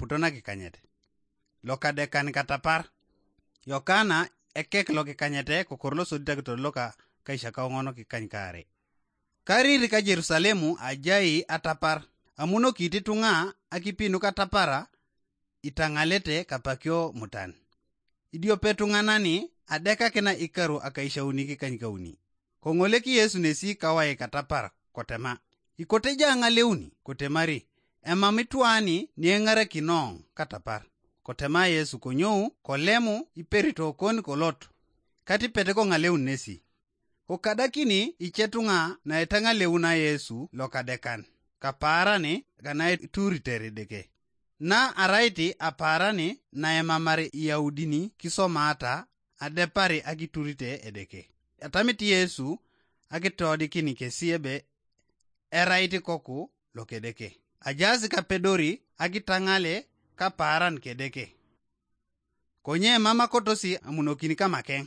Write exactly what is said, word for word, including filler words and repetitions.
aputo nakikanyet. Lokadekan katapar. Yokana ekek lokikanyete kokoro losodit akitor loka kaishakauŋon kikany kaare. Karir ka Jerusalemu ajai atapar, amunokit ituŋa akipi nukatapara itaŋalete kapakio mutan. Idiope tuŋanani adekakina ikaru akaishauni kikanykauni. Koŋolek Yesu nesi kawai katapar kotema, ikote ja ŋaleuni kotemari, emam itwani nieŋarakinoŋ katapar. Kotema Yesu konyou kolemu iperito kon kolot, katipet koŋaleun nesi. Kokadakini icetuŋa naitaŋaleuna Yesu lokadekan, kapaarani kanaituriter Edeke. Na araiti apaarani naemamar Iyaudini kisomata adepari akiturite Edeke. Atamit Yesu akitodikin kesi ebe erait ikoku lokedeke. Ajaas kapedori akitaŋale kapaaran kedeke. Konye mam akotosi amunokin kamakeŋ.